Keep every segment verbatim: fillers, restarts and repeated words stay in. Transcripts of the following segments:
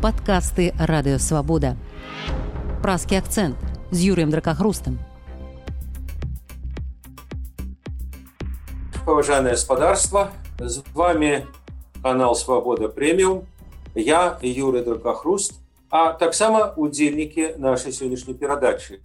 Падкасты Радыёвабода. Празкі акцэнт з Юрыем Дракахрустам. Поважанное господарство, с вами канал Свобода Премиум, я Юрий Дракахруст, а так само удзельники нашей сегодняшней передачи.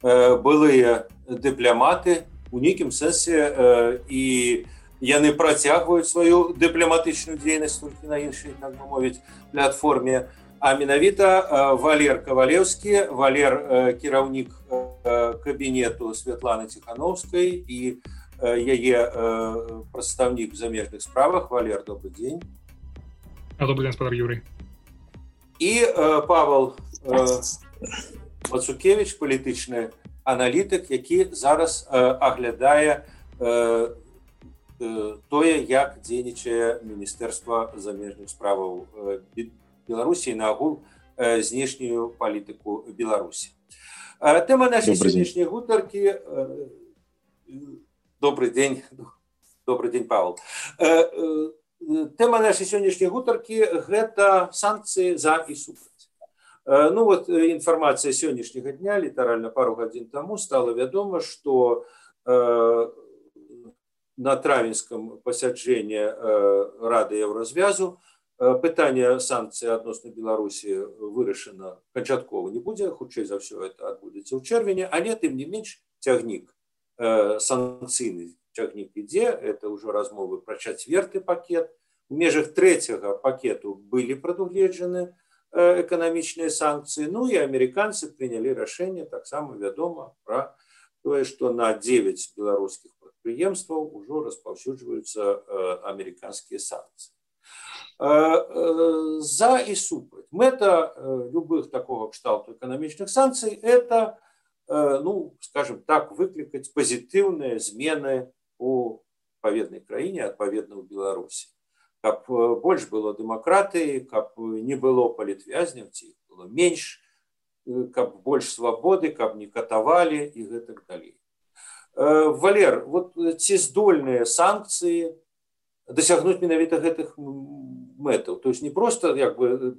Былые дыпломаты у нейкім сэнсе и яны працягваюць сваю дыпламатычную дзейнасць толькі на іншай, так бы мовіць, платформе. А менавіта Валер Кавалеўскі, Валер кіраўнік кабінету Святланы Ціхановскай і яе прадстаўнік в замежных справах. Валер, добрый дзень. Добрый дзень, спадар Юрый. І Павел Мацукевич, палітычны аналітык, які зараз аглядае тое, як дзейнічае Міністэрства замежных справаў Беларусі і наагул знешнюю палітыку Беларусі. Тэма нашай сённяшняй гутаркі. Добрый дзень. Добрый дзень, Павел. Тэма нашай сённяшняй гутаркі гэта санкцыі за і супраць. Ну вот інфармацыя сённяшняга дня, літаральна пару гадзін таму стала вядома, што на травеньском пасяджэнні Рады Еўразвязу пытанне санкцый адносна Беларусі вырашана канчаткова не будзе, хутчэй за ўсё это адбудзецца ў чэрвені, але тым не менш цягнік, санкцыйны цягнік ідзе, это ўжо размовы пра чацвёрты пакет. У межах трэцяга пакету былі прадугледжаны эканамічныя санкцыі, ну і амерыканцы прынялі рашэнне, таксама вядома пра тое, што на дзевяць беларускіх прадпрыемстваў ужо распаўсюджваюцца амерыканскія санкцыі. За і супраць. Мэта любых такого кшталту эканамічных санкцый – это, ну, скажем так, выклікаць пазітыўныя змены у адпаведнай краіне, адпаведна ў Беларусі. Каб больш было дэмакратыі, каб не было палітвязняў, ці іх было менш, каб больш свабоды, каб не катавалі і гэтак далей. Валер, вот ці здольныя санкцыі дасягнуць менавіта гэтых мэтаў? То есть не просто як бы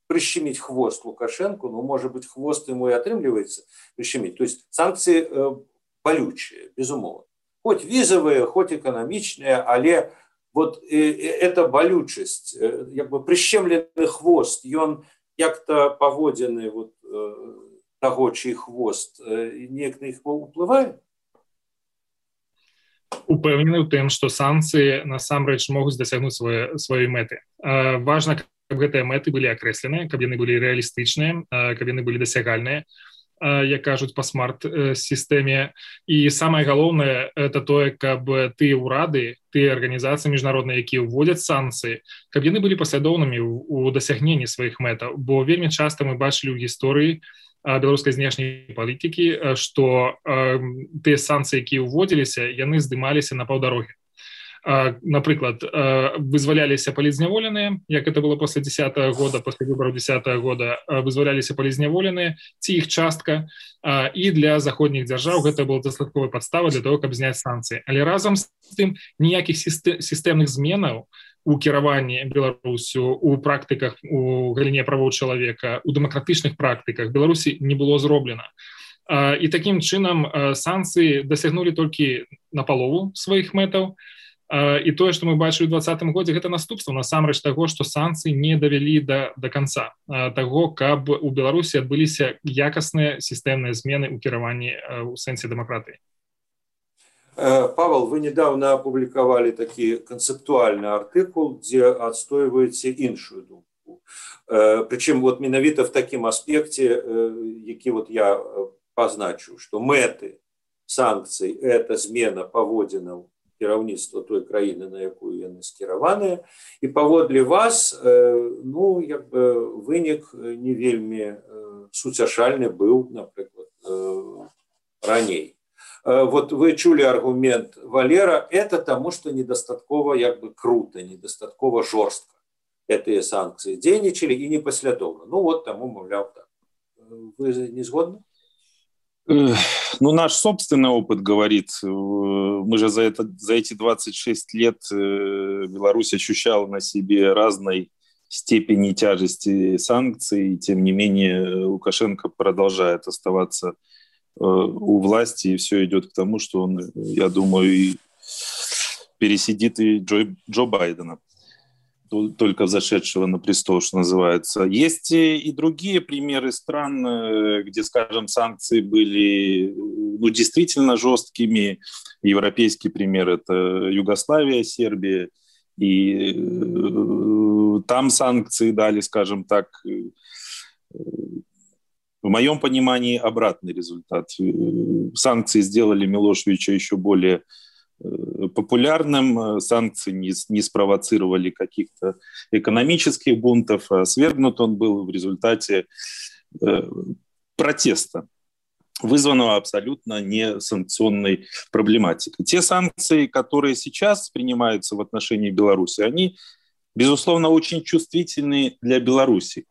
прищемить хвост Лукашенко, но, может быть, хвост ему и отрымливается прищемить. То есть санкции болючие, безумовно. Хоть визовые, хоть экономичные, але вот эта болючесть, як бы прищемленный хвост, и он як-то поводенный вот того, чий хвост, неяк на іх уплывае? Упэўнены ў тым, што санкцыі насамрэч могуць дасягнуць свае, сваёй мэты. Важна, каб гэтыя мэты былі акрэсленыя, каб яны былі рэалістычныя, каб яны былі дасягальныя, як кажуць па смарт-сістэме. І самае галоўнае, это тое, каб тыя ўрады, тыя арганізацыі міжнародныя, якія ўводзяць санкцыі, каб яны былі паслядоўнымі ў дасягненні сваіх мэтаў. Бо вельмі часта мы бачылі ў гісторыі беларускай знешняй палітыкі, што тыя санкцыі, якія ўводзіліся, яны здымаліся на паўдарогі. Напрыклад, вызваляліся палізняволеныя, як это было пасля дзесятага года, пасля выбараў дзесятага года, вызваляліся палізняволеныя, ці іх частка, і для заходніх дзяржаў гэта была дастатковая падстава для того, каб зняць санкцыі. Але разам з тым ніякіх сістэмных зменаў у кіраванні Беларусю, у практыках, у галіне правоў чалавека, у дэмакратычных практыках Беларусі не было зроблена. І такім чынам санкцыі дасягнулі толькі напалову сваіх мэтаў. І тое, што мы бачылі ў двадцатым годзе, гэта наступства насамрэч таго, што санкцыі не давялі да, да канца таго, каб у Беларусі адбыліся якасныя сістэмныя змены ў кіраванні ў сэнсе дэмакратыі. Павел, вы недавно опубликовали такой концептуальный артикул, где отстаиваете іншую думку. Причем вот менавіта в таком аспекте, який вот я позначу, что мэты санкций – это змена паводзінаў кіраўніцтва той краіны, на якую яны скіраваныя, і паводле вас, ну, як бы вынік не вельмі суцяшальны быў, напрыклад, раней. Вот вы чули аргумент Валера, это тому, что недостатково як бы круто, недостатково жорстко эти санкции дзейнічалі и непоследовно. Ну вот тому, мовляв, так. Вы не згодны? Ну, наш собственный опыт говорит, мы же за, это, за эти двадцать шесть лет Беларусь ощущала на себе разной степени тяжести санкций. Тем не менее, Лукашенко продолжает оставаться у власти, и все идет к тому, что он, я думаю, и пересидит и Джо, Джо Байдена, только взошедшего на престол, что называется. Есть и другие примеры стран, где, скажем, санкции были ну, действительно жесткими. Европейский пример – это Югославия, Сербия. И там санкции дали, скажем так, в моем понимании, обратный результат. Санкции сделали Милошевича еще более популярным, санкции не, не спровоцировали каких-то экономических бунтов, а свергнут он был в результате э, протеста, вызванного абсолютно не санкционной проблематикой. Те санкции, которые сейчас принимаются в отношении Беларуси, они, безусловно, очень чувствительны для Беларуси.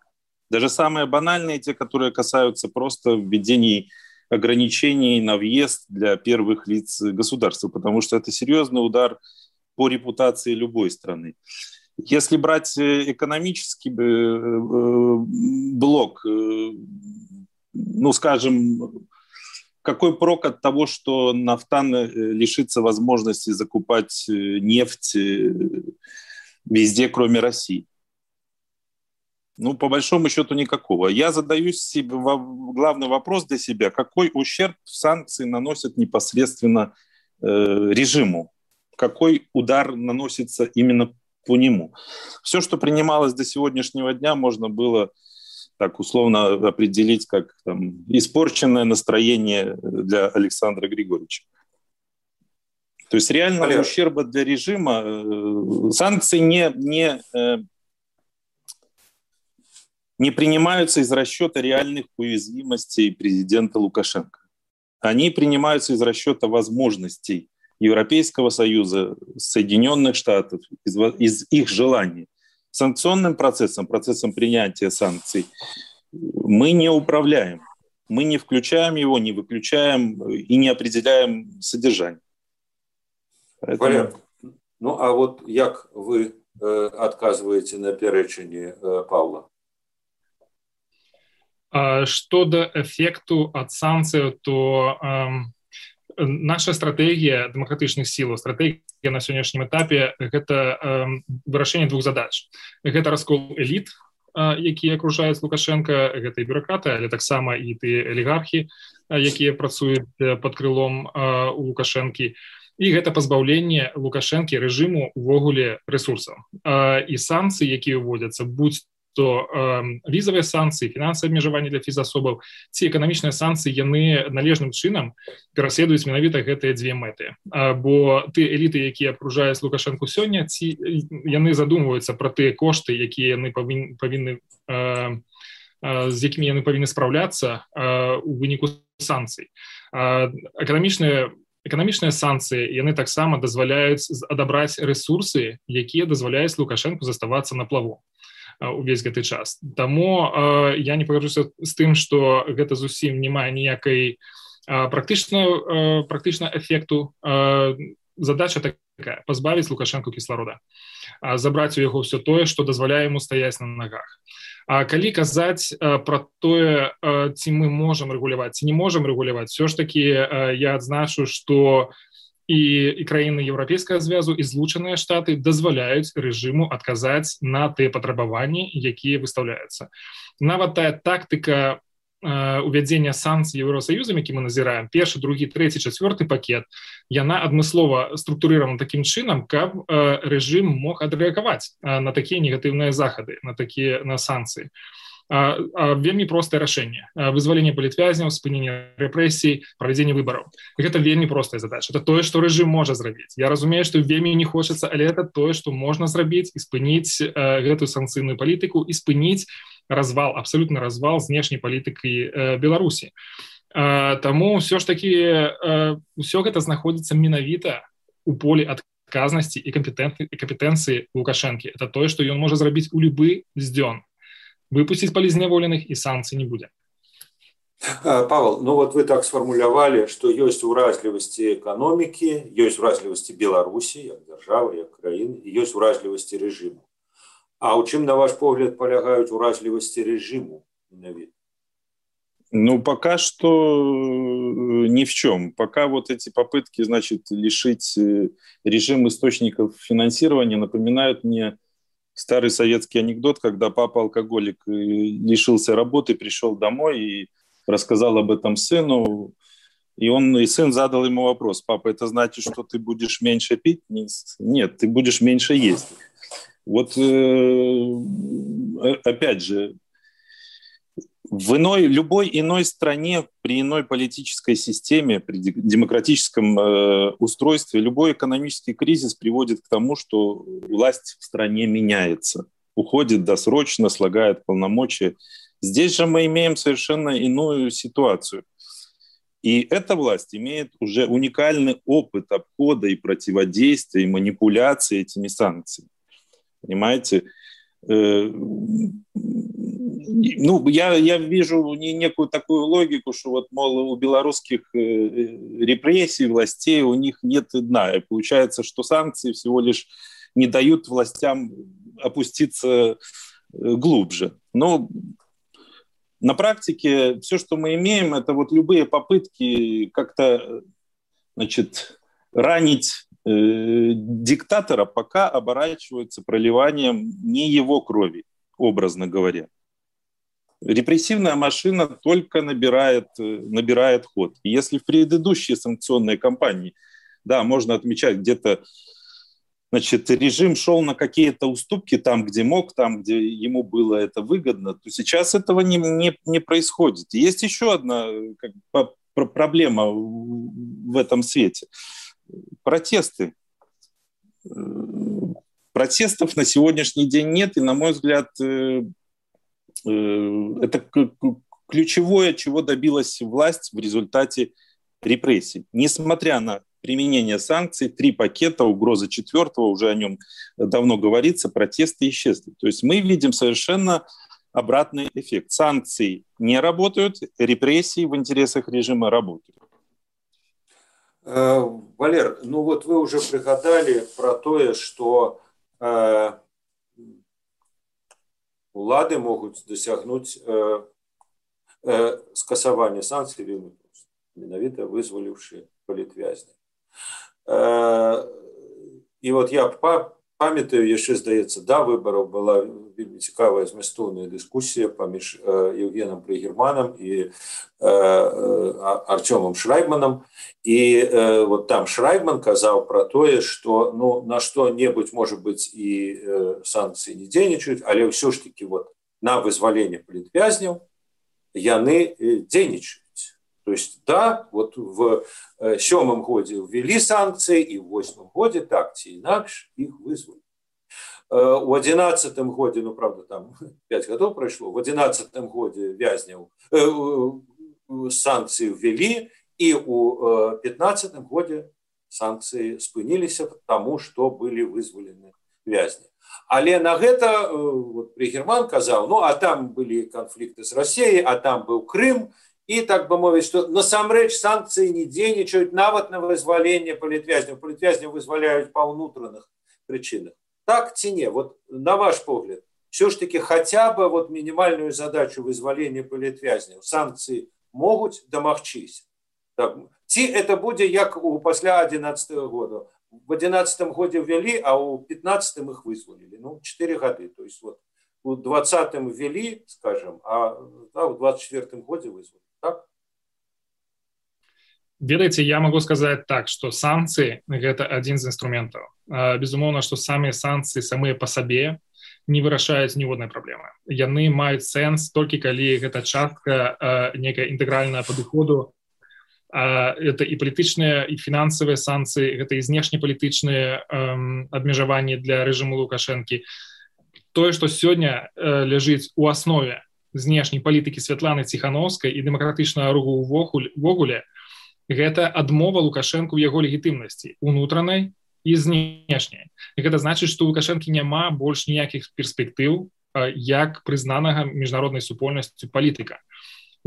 Даже самые банальные, те, которые касаются просто введений ограничений на въезд для первых лиц государства, потому что это серьезный удар по репутации любой страны. Если брать экономический блок, ну, скажем, какой прок от того, что нафтан лишится возможности закупать нефть везде, кроме России? Ну, по большому счету, никакого. Я задаю себе главный вопрос для себя. Какой ущерб санкции наносят непосредственно э, режиму? Какой удар наносится именно по нему? Все, что принималось до сегодняшнего дня, можно было так условно определить как там, испорченное настроение для Александра Григорьевича. То есть реального Валер. ущерба для режима э, санкции не... не э, не принимаются из расчета реальных уязвимостей президента Лукашенко. Они принимаются из расчета возможностей Европейского Союза, Соединенных Штатов, из, из их желаний. Санкционным процессом, процессом принятия санкций мы не управляем. Мы не включаем его, не выключаем и не определяем содержание. Поэтому... Валер, ну а вот як вы э, отказываете на пярэчанне э, Павла? Что до эффекту от санкций, то э, наша стратегия демократичных сил, стратегия на сегодняшнем этапе – это э, вырашэнне двух задач. Это раскол элит, э, якія акружаюць Лукашенко, гэта і бюрократы, але таксама і тыя алігархі, э, якія працуюць под крылом э, у Лукашэнкі. І гэта пазбаўленне Лукашэнкі рэжыму увогуле рэсурсаў. Э, і санкцыі, якія ўводзяцца, будь то э, візавыя санкцыі, фінансавыя абмежаванні для фізасобаў, ці эканамічныя санкцыі, яны належным чынам пераследуюць менавіта гэтыя дзве мэты. А, бо ты эліты, якія акружаюць Лукашэнку сёння, ці яны задумваюцца пра тыя кошты, якія яны павін, павінны, э, э, з якімі яны павінны спраўляцца э, у выніку санкцый. А, эканамічныя Эканамічныя санкцыі, яны таксама дазваляюць адабраць рэсурсы, якія дазваляюць Лукашэнку заставацца на плаву увесь гэты час. Таму э, я не пагаджуся з тым, што гэта зусім не мае ніякай э, практычна, э, практычна эфекту. Э, задача такая – пазбавіць Лукашэнку кісларода, э, забраць у яго ўсё тое, што дазваляе яму стаяць на нагах. А калі казаць э, пра тое, э, ці мы можам рэгуляваць, ці не можам рэгуляваць, все ж такі э, я адзначу, што і, і краіны Еўрапейскага звязу, і Злучаныя Штаты дазваляюць рэжыму адказаць на тыя патрабаванні, якія выстаўляюцца. Нават тая тактыка э, увядзення санкцый Еўросаюзам, які мы назіраем, першы, другі, трэці, чацвёрты пакет, яна адмыслова структурыравана такім чынам, каб э, рэжым мог адрэагаваць э, на такія негатыўныя захады, на такія на санкцыі. А, а, вельмі простае рашэнне. Вызваленне палітвязняў, спыненне рэпрэсій, правядзенне выбараў. Гэта вельмі простая задача. Это тое, што рэжым можа зрабіць. Я разумею, што вельмі не хочацца, але это тое, што можна зрабіць і спыніць э, гэтую санкцыйную палітыку і спыніць развал, абсалютны развал знешняй палітыкі э, Беларусі. Э, таму ўсё ж такі э, ўсё гэта знаходзіцца менавіта у полі адказнасці і кампетэнцыі Лукашэнкі. Это тое, што ён можа зрабіць у любы дзён. Выпустить полізняволеных, і санкцый не будет. Павел, ну вот вы так сформулировали, что есть уразливости экономики, есть уразливости Беларуси, как державы, как краины, и есть уразливости режима. А ў чым, на ваш погляд, палягаюць уразлівасці рэжыму? Ну, пока что ни в чем. Пока вот эти попытки, значит, лишить режим источников финансирования напоминают мне старый советский анекдот, когда папа-алкоголик лишился работы, пришел домой и рассказал об этом сыну. И, он, и сын задал ему вопрос: папа, это значит, что ты будешь меньше пить? Нет, ты будешь меньше есть. Вот опять же, в иной, любой иной стране, при иной политической системе, при демократическом э, устройстве, любой экономический кризис приводит к тому, что власть в стране меняется, уходит досрочно, слагает полномочия. Здесь же мы имеем совершенно иную ситуацию. И эта власть имеет уже уникальный опыт обхода и противодействия, и манипуляции этими санкциями. Понимаете? Ну, я, я вижу некую такую логику, что вот, мол, у белорусских репрессий, властей, у них нет дна. И получается, что санкции всего лишь не дают властям опуститься глубже. Но на практике все, что мы имеем, это вот любые попытки как-то, значит, ранить э, диктатора, пока оборачиваются проливанием не его крови, образно говоря. Репрессивная машина только набирает, набирает ход. И если в предыдущие санкционные кампании, да, можно отмечать, где-то, значит, режим шел на какие-то уступки там, где мог, там, где ему было это выгодно, то сейчас этого не, не, не происходит. Есть еще одна как, проблема в этом свете. Протесты. Протестов на сегодняшний день нет, и, на мой взгляд, это ключевое, чего добилась власть в результате репрессий. Несмотря на применение санкций, три пакета, угроза четвертого, уже о нем давно говорится, протесты исчезли. То есть мы видим совершенно обратный эффект. Санкции не работают, репрессии в интересах режима работают. Валер, ну вот вы уже пригадали про то, что э, улады могут досягнуть э, э, скасования санкций, менавіта вызвалившие палітвязня. І от я пам'ятаю, яшчэ, здаецца, да выбараў была вельмі цікавая змястоўная дыскусія паміж Евгеном Пригерманом і Артёмом Шрайбманом. І вот там Шрайбман казаў пра тое, што ну, на што-небудзь, можа быць, і санкцыі не дзейнічаюць, але ўсё ж таки вот на вызваленне палітвязняў яны дзейнічаюць. То есть, да, вот в сёмым годзе ввели санкции, и в восьмым годзе так ці інакш их вызвали. У одиннадцатым годзе, ну, правда, там пять годов прошло, в одиннадцатым годзе вязняў э, санкции ввели, и у пятнадцатым годзе санкции спыніліся, потому что были вызволены вязни. Але на гэта вот, Пригерман казаў, ну, а там были конфликты с Россией, а там был Крым, и, так бы мовить, что насамрэч санкции не дзейнічаюць нават на вызваленне палітвязняў. Палітвязняў вызваляюць по внутренних причинах. Так ці не? Вот на ваш погляд, все ж таки хотя бы вот минимальную задачу вызвалення палітвязняў санкции могут домагчыся. Так, ці это будзе як у пасля одиннадцатого года. В одиннадцатом годе ввели, а у пятнадцатом их вызволили. Ну, четыре года. То есть вот у двадцатом ввели, скажем, а да, у двадцать четвёртом годе вызвали. Так? Ведаеце, я могу сказать так, что санкции – это один из инструментов. Безумоўна, что сами санкции самые по себе не вырашаюць ніводнай праблемы. Яны маюць сэнс толькі калі гэта частка некая інтэгральная падыходу. Это и палітычныя, и фінансавыя санкции, это и знешнепалітычныя абмежаванні для рэжыму Лукашэнкі. Тое, што сёння ляжыць у аснове знешняй палітыкі Святланы Ціхановскай і дэмакратычнага руху ўвогуле, гэта адмова Лукашэнку ў яго легітымнасці унутранай і знешняй. І гэта значыць, што у Лукашэнкі няма больш ніякіх перспектыў як прызнанага міжнароднай супольнасцю палітыка.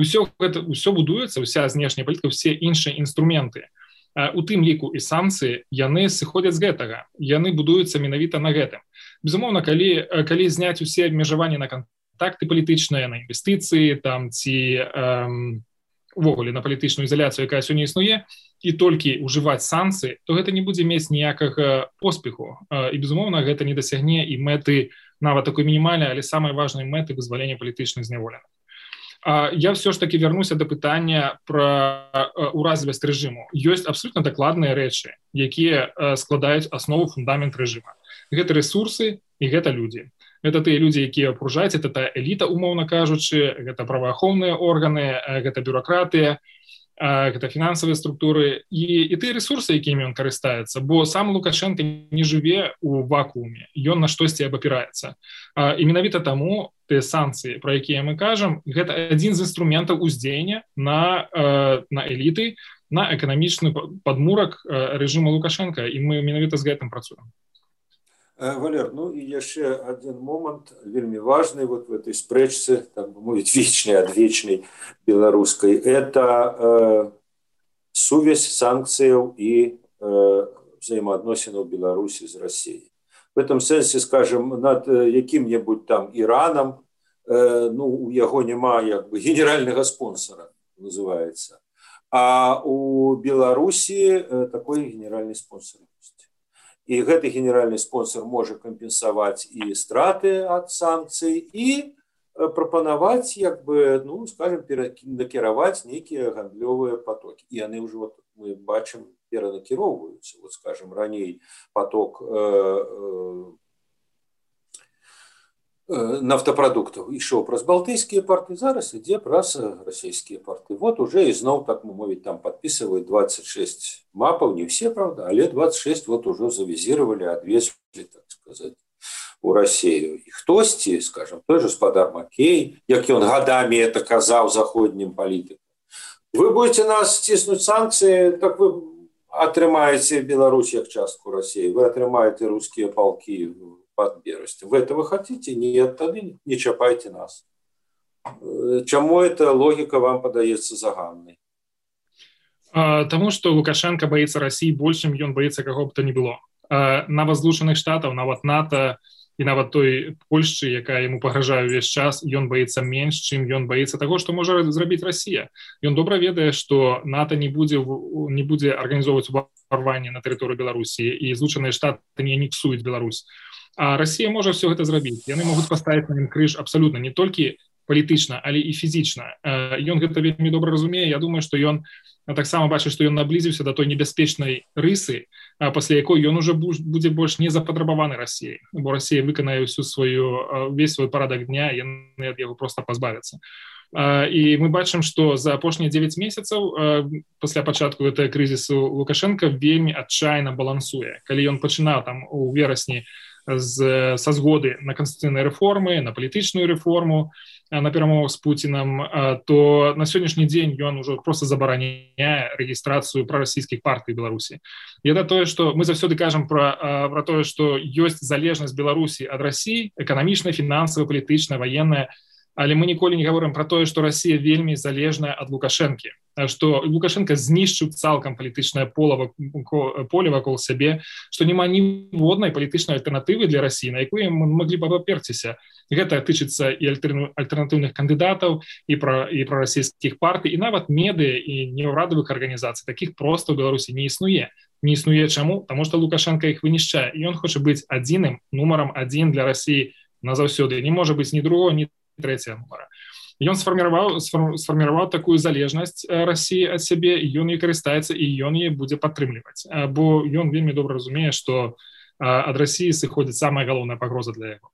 Усё гэта ўсё будуецца, уся знешняя палітыка, усе іншыя інструменты, у тым ліку і санкцыі, яны сыходзяць з гэтага, яны будуюцца менавіта на гэтым. Безумоўна, калі, калі зняць усе абмежаванні на кантакты палітычныя, на інвестыцыі, там, ці эм, увогуле на палітычную ізаляцыю, якая сёння існуе, і толькі ўжываць санкцыі, то гэта не будзе мець ніякага поспеху. І, безумоўна, гэта не дасягне і мэты, нават такой мінімальнай, але самай важнай мэты вызвалення палітычных зняволеных. Я все ж таки вернуся до пытання про уразлівасць рэжыму. Ёсць абсолютно дакладныя рэчы, якія складаюць аснову фундамент рэжыма. Гэта рэсурсы і гэта людзі. Гэта тыя людзі, якія акружаюць, это та эліта, умоўна кажучы, гэта праваахоўныя органы, гэта бюракратыя, гэта фінансавыя структуры і, і тыя рэсурсы, якімі ён карыстаецца, бо сам Лукашенко не жыве у вакууме, ён на штосьці абапіраецца. І менавіта таму тыя санкцыі, пра якія мы кажам, гэта адзін з інструментаў уздзеяння на, на эліты, на эканамічны падмурак рэжыма Лукашенко, і мы менавіта з гэтым працуем. Валер, ну и еще один момент, вельми важный вот в этой спрэчцы, так бы мовить, вечной, адвечной белорусской, это э, сувязь санкций и э, взаимоотносин Беларуси с Россией. В этом сенсе, скажем, над яким-нибудь там Ираном, э, ну, у яго нема як бы генерального спонсора, называется, а у Беларуси э, такой генеральный спонсор есть. И гэты генеральный спонсор может компенсовать и страты от санкций, и пропановать, як бы, ну, скажем, накировать некие гандлёвые потоки. И они уже, вот, мы бачим, перенакировываются. Вот, скажем, ранее поток э, э, нафтопродуктов ішоў праз балтыйскія порты, зараз ідзе праз расійскія порты. Вот уже і зноў, так мы мовіць, там подписывают двадцать шесть мапаў, не все, правда, але двадцать шесть вот уже завизировали, отвесили, так сказать, у Россию. И хтосьці, скажем, той же спадар Макей, як ён годами это казаў заходнім палітыкам. Вы будете нас стиснуть санкции, так вы атрымаете Беларусь як частку России, вы атрымаете русские полки под Берестем. Вы этого хотите? Нет, тогда не чапайте нас. Чему эта логика вам подается заганной? Тому, что Лукашенко боится России больше, чем он боится кого бы то ни было. Нават Злучаных Штатаў, нават НАТО і нават той Польшчы, якая яму пагражае ўвесь час, ён боится менш, чым ён боится таго, што можа зрабіць Россия. Ён добра ведае, што НАТО не будзе, не будзе арганізоўваць уварванне на тэрыторыю Беларусі, і Злучаныя Штаты не анексуюць Беларусь. А Россия можа все гэта зрабіць. Яны могуць паставіць на ім крыж абсалютна не толькі палітычна, але і фізічна. Ён гэта вельмі добра разумее. Я думаю, што ён таксама бачыць, што ён наблізіўся да той небяспечнай рысы, пасля якой ён уже будзе больш не запатрабаваны Россией, бо Россия выканае ўсю сваю, весь свой парадак дня, яны ад яго проста пазбавяцца. І мы бачым, што за апошнія дзевяць месяцаў пасля пачатку гэтага крызісу Лукашенко вельмі адчайна балансуе. Калі ён пачынаў там у верасні з, са згоды на канстытуцыйныя рэформы, на палітычную рэформу, на перамовах з Пуціном, то на сённяшні дзень ён ужо проста забараняе рэгістрацыю прарасійскіх партый Беларусі. І это тое, што мы заўсёды кажам пра, пра тое, што ёсць залежнасць Беларусі ад Расіі, эканамічная, фінансавая, палітычная, ваенная, але мы ніколі не гаворым пра тое, што Расія вельмі залежная ад Лукашэнкі, што Лукашенко знішчыў цалкам палітычнае поле вакол сябе, што няма ніводнай палітычнай альтэрнатывы для Расіі, на якую мы маглі б абаперціся. Гэта тычыцца і альтэрнатыўных кандыдатаў, і пра, і пра расійскіх партый, і нават медыа і неўрадавых арганізацый. Такіх проста ў Беларусі не існуе. Не існуе чаму? Таму што Лукашенко іх вынішчае, і ён хоча быць адзіным нумарам адзін для Расіі назаўсёды. Не можа быць ні другого, ні трэцяга нумара. Ён сфарміраваў, сфарміраваў такую залежнасць Расіі ад сябе, і ён ёй карыстаецца, і ён яе будзе падтрымліваць. Бо ён вельмі добра разумее, што ад Расіі сыходзіць самая галоўная пагроза для яго.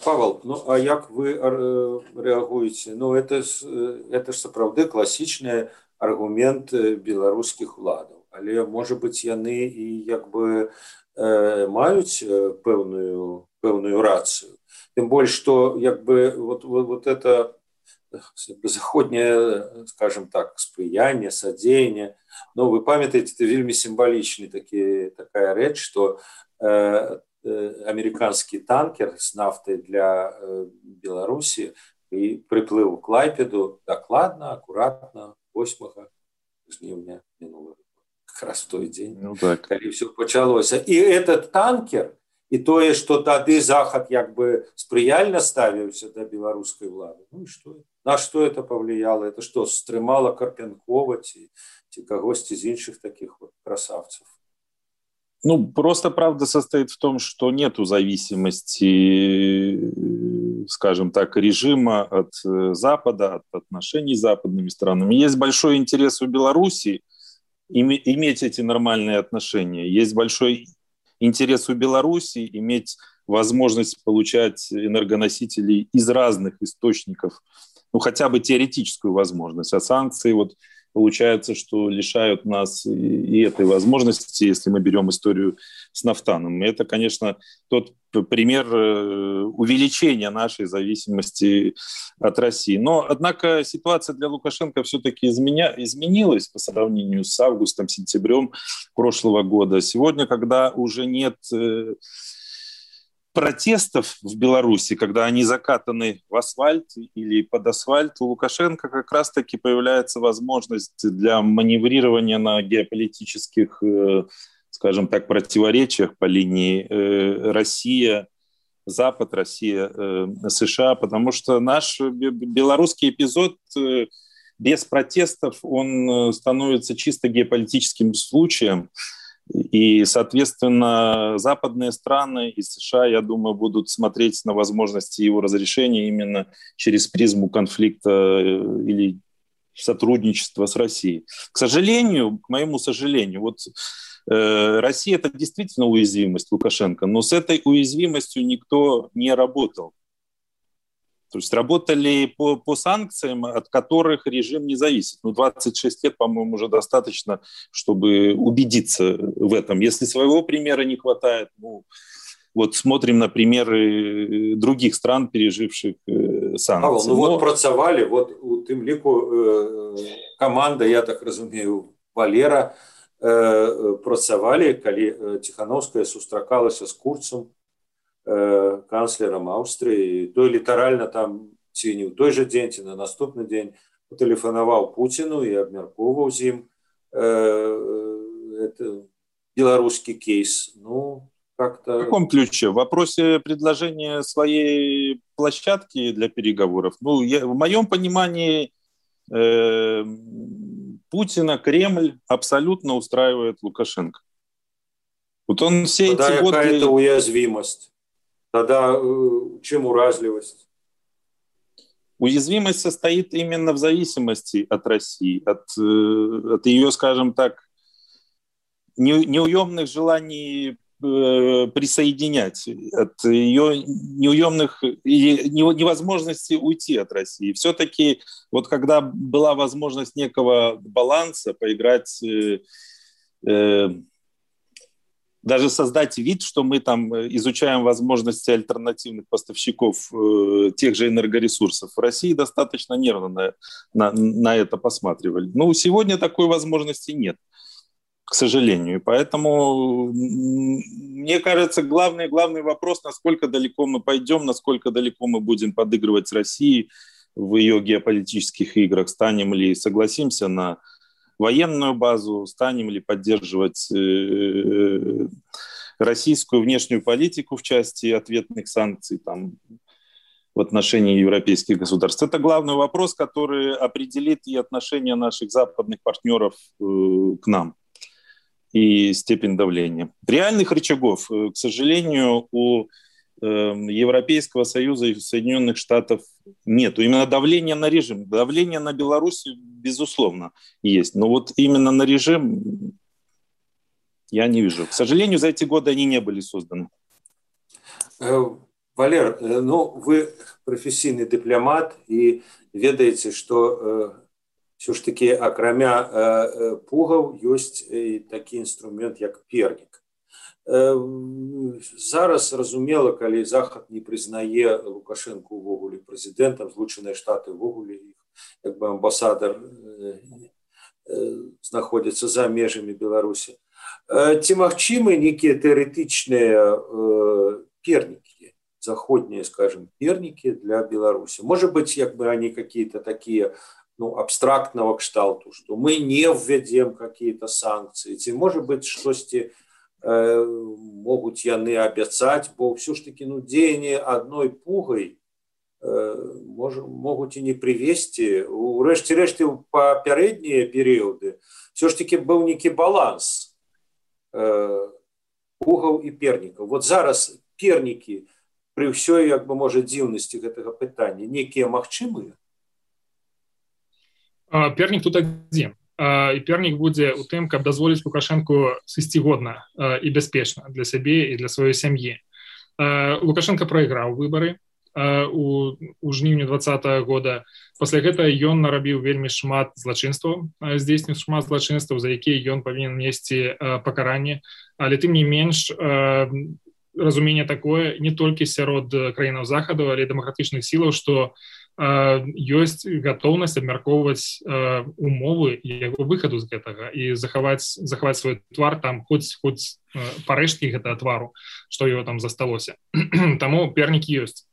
Павел, ну а як вы рэагуеце? Ну это ж, это ж сапраўды класічны аргумент беларускіх уладаў. Але, можа быць, яны і як бы э, маюць пэўную, пэўную рацыю. Тем более, что як бы вот, вот, вот это заходнее, скажем так, сприяние, содеяние, но вы памятаете, это вельми символичный таки, такая речь, что э, э, американский танкер с нафтой для э, Беларуси и приплыл в Клайпеду докладно, аккуратно, восьмого жнивня минулого, как раз в той день, ну, так. когда все началось. И этот танкер, і тое, што тады Захад як бы спрыяльна ставіўся да беларускай улады. Ну і што? На што это повлияло? Это что, стрымала Карпенкова ці, ці кагосьці з іншых таких вот красавцев? Ну, просто правда состоит в том, что нету зависимости, скажем так, режима от Запада, от отношений с западными странами. Есть большой интерес у Беларуси иметь эти нормальные отношения. Есть большой интерес у Беларуси иметь возможность получать энергоносители из разных источников, ну, хотя бы теоретическую возможность. А санкции, вот, получается, что лишают нас и этой возможности, если мы берем историю с нафтаном. И это, конечно, тот пример увеличения нашей зависимости от России. Но, однако, ситуация для Лукашенко все-таки изменя... изменилась по сравнению с августом, сентябрем прошлого года. Сегодня, когда уже нет протестов в Беларуси, когда они закатаны в асфальт или под асфальт, у Лукашенко как раз-таки появляется возможность для маневрирования на геополитических, скажем так, противоречиях по линии Россия-Запад, Россия-США, потому что наш белорусский эпизод без протестов, он становится чисто геополитическим случаем. И, соответственно, западные страны и США, я думаю, будут смотреть на возможности его разрешения именно через призму конфликта или сотрудничества с Россией. К сожалению, к моему сожалению, вот э, Россия – это действительно уязвимость Лукашенко, но с этой уязвимостью никто не работал. То есть работали по, по санкциям, от которых режим не зависит. Ну, двадцать шесть лет, по-моему, уже достаточно, чтобы убедиться в этом. Если своего примера не хватает, ну, вот смотрим на примеры других стран, переживших э, санкции. Павел, ну Но... вот працавали, вот у тым ліку э, команда, я так разумею, Валера, э, працавали, калі Тихановская сустракалася з Курцам, канцлерам Аўстрыі, той літаральна там ці не ў той жа дзень, ці на наступны дзень тэлефанаваў Пуціну і абмяркоўваў з ім э, беларускі кейс. Ну, как-то... В каком ключе? В вопросе предложения своей площадки для переговоров? Ну, я, в моем понимании э, Путина Кремль абсолютно устраивает Лукашенко. Вот он все Тогда эти годы... какая-то уязвимость. Тогда чем уразливость? Уязвимость состоит именно в зависимости от России, от, от ее, скажем так, неуемных желаний присоединять, от ее неуемных или невозможности уйти от России. Все-таки вот когда была возможность некого баланса, поиграть... Э, даже создать вид, что мы там изучаем возможности альтернативных поставщиков э, тех же энергоресурсов. В России достаточно нервно на, на, на это посматривали. Но сегодня такой возможности нет, к сожалению. Поэтому, мне кажется, главный, главный вопрос, насколько далеко мы пойдем, насколько далеко мы будем подыгрывать с Россией в ее геополитических играх. Станем ли, согласимся на военную базу, станем ли поддерживать э, российскую внешнюю политику в части ответных санкций там, в отношении европейских государств. Это главный вопрос, который определит и отношение наших западных партнеров э, к нам, и степень давления. Реальных рычагов, э, к сожалению, у Европейского Союза и Соединенных Штатов нету. Именно давление на режим, давление на Беларусь, безусловно, есть. Но вот именно на режим я не вижу. К сожалению, за эти годы они не были созданы. Валер, ну, вы профессийный дипломат и ведаете, что все ж таки, акрамя пугаў, есть такой инструмент, как перник. Зараз зразумела, калі Захад не прызнае Лукашенко увогуле прэзідэнтам, Злучаныя Штаты увогуле іх як бы амбасадар знаходзіцца за межамі Беларусі. Ці магчымы нейкія тэарэтычныя пернікі, заходнія, скажем, пернікі для Беларусі? Может быть, як бы они какие-то такие, ну, абстрактного кшталту, что мы не введем какие-то санкции, ці может быть штосьці могуць яны абяцаць, бо ўсё ж таки ну, дзеянне адной пугай мож, могуць і не прывесці. У рэшце рэшты ў папярэднія перыяды все ж таки быў нейкі баланс пугаў і пернікаў. Вот зараз пернікі пры ўсёй, як бы, можа, дзіўнасці гэтага пытання, некія магчымыя? Пернік тут адзін. І пернік будзе ў тым, каб дазволіць Лукашэнку сысці годна і бяспечна для сябе і для сваёй сям'і. Лукашенко прайграў выбары у, у жніўні двадцатага года. Пасля гэтага ён нарабіў вельмі шмат злачынстваў, здзейсніў шмат злачынстваў, за якія ён павінен несці пакаранне. Але тым не менш, разуменне такое не толькі сярод краінаў захаду, але і дэмакратычных сілаў, што ёсць гатоўнасць абмяркоўваць умовы яго выхаду з гэтага і захаваць, захаваць свой твар там, хоць, хоць парэшткі гэтага твару, што его там засталося. Таму пернікі ёсць.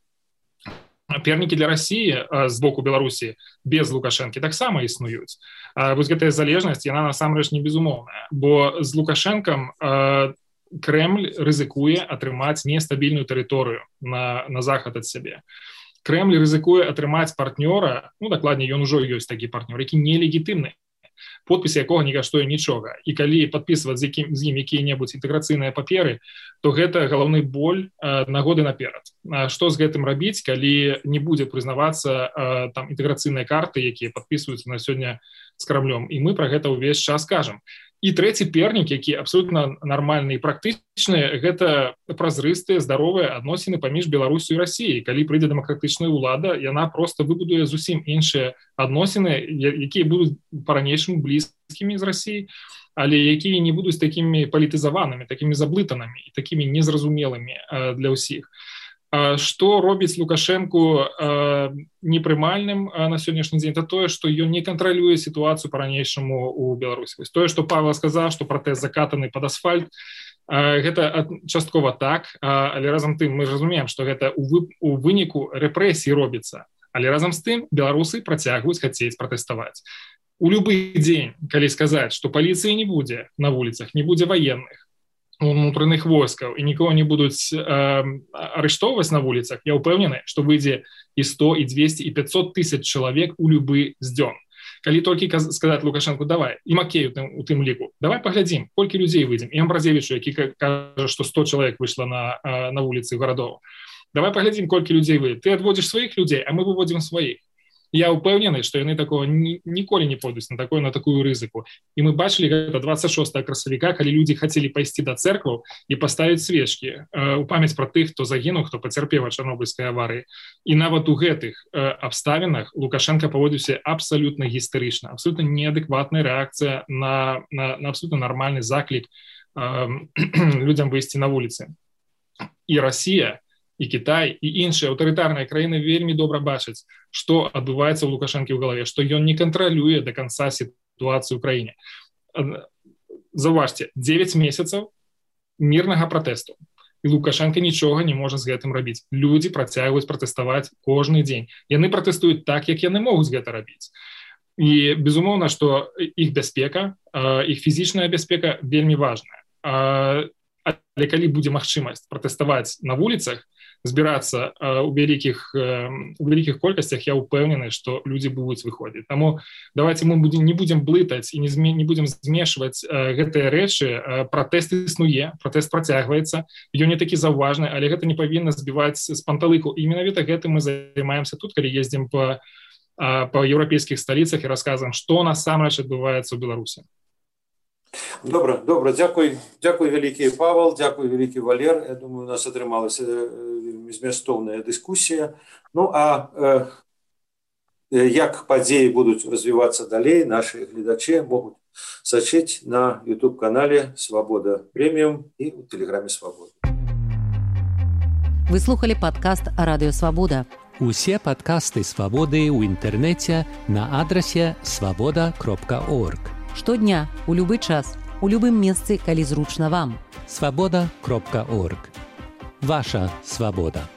Пернікі для Расіі з боку Беларусі без Лукашэнкі таксама існуюць. Вось гэтая залежнасць, яна насамрэч не безумоўная, бо з Лукашэнкам Крэмль рызыкуе атрымаць нестабільную тэрыторыю на, на захад ад сябе. Крэмль рызыкуе атрымаць партнёра, ну, дакладней, ён ужо ёсць такі партнёр, які нелегітымны, подпіс якога не каштуе нічога. І калі падпісваць з, якім, з ім якія-небудзь інтэграцыйныя паперы, то гэта галоўны боль э, на годы наперад. А што з гэтым рабіць, калі не будзе прызнавацца э, там інтэграцыйныя карты, якія падпісваюцца на сёння з Крамлём. І мы пра гэта ўвесь час кажам. І трэці пернік, які абсолютна нармальны і практычны, гэта празрыстыя, здаровыя адносіны паміж Беларусю і Расіяй. Калі прыйдзе дэмакратычная ўлада, яна проста выбудуе зусім іншыя адносіны, якія будуць па-ранейшаму блізкімі з Расіяй, але якія не будуць такімі палітызаванымі, такімі заблытанымі і такімі незразумелымі для ўсіх. Што робіць Лукашэнку непрымальным на сённяшні дзень, это тое, што ён не кантралюе сітуацыю па-ранейшаму ў Беларусі. Тое, што Павел сказаў, што пратэст закатаны пад асфальт, гэта часткова так, але разам тым мы разумеем, што гэта у выніку рэпрэсій робіцца. Але разам з тым беларусы працягваюць хацець пратэставаць. У любы дзень, калі сказаць, што паліцыі не будзе на вуліцах, не будзе ваенных, унутраных войскаў і нікого не будуць э, арыштоўваць на вуліцах, я ўпэўнены, што выйдзе і сто, і двести, і пятьсот тысяч чалавек у любы з дзён. Калі толькі сказаць Лукашэнку, давай, і Макею у тым ліку, давай паглядзім, колькі людзей выйдзем, і Амбразевічу, які кажа, што сто чалавек выйшла на, на вуліцы гарадоў. Давай паглядзім, колькі людзей выйдзе. Ты адводзіш сваіх людзей, а мы выводзім сваіх. Я ўпэўнены, што яны такого ні, ніколі не пойдуць на такую, на такую рызыку. І мы бачылі гэта двадцать шостага красавіка, калі людзі хацелі пайсці да цэркваў і паставіць свечкі э, у памяць пра тых, хто загінуў, хто пацярпеў ад чарнобыльскай аварыі. І нават у гэтых э, абставінах Лукашенко паводзіўся абсалютна гістэрычна, абсалютна неадэкватная рэакцыя на, на, на абсалютна нармальны заклік э, людзям выйсці на вуліцы. І Расія, і Кітай, і іншыя аўтарытарныя краіны вельмі добра бачаць, што адбываецца ў Лукашэнкі ў галаве, што ён не кантралюе да канца сітуацыю ў краіне. Заўважце, дзевяць месяцаў мірнага пратэсту. І Лукашенко нічога не можа з гэтым рабіць. Людзі працягваюць пратэставаць кожны дзень. Яны пратэстуюць так, як яны могуць гэта рабіць. І, безумоўна, што іх бяспека, іх фізічная бяспека вельмі важная. Але калі будзе магчымасць пратэставаць на вуліцах, збірацца ў вялікіх, у вялікіх колькасцях, я ўпэўнены, што людзі будуць выходзіць. Таму давайте мы будем, не будзем блытаць і не, зме, не будзем змешваць гэтыя рэчы. Пратэст існуе, пратэст працягваецца, ён не такі заўважны, але гэта не павінна збіваць з панталыку. І менавіта гэтым мы займаемся тут, калі ездзім па, па еўрапейскіх сталіцах і расказваем, што насамрэч адбываецца ў Беларусі. Добра, добра, дзякуй, дзякуй вялікі Павел, дзякуй вялікі Валер. Я думаю, у нас атрымалася змястоўная дыскусія. Ну, а э, як падзеі будуць развівацца далей, нашы гледачы могуць сачыць на YouTube-канале «Свабода Прэміум» і ў тэлеграме «Свабода». Вы слухали падкаст «Радыё Свабода». Усе падкасты «Свабоды» ў інтэрнэце на адрасе свабода кропка орг. Штодня, у любы час, у любым месцы, калі зручна вам. свабода кропка орг. Ваша свабода.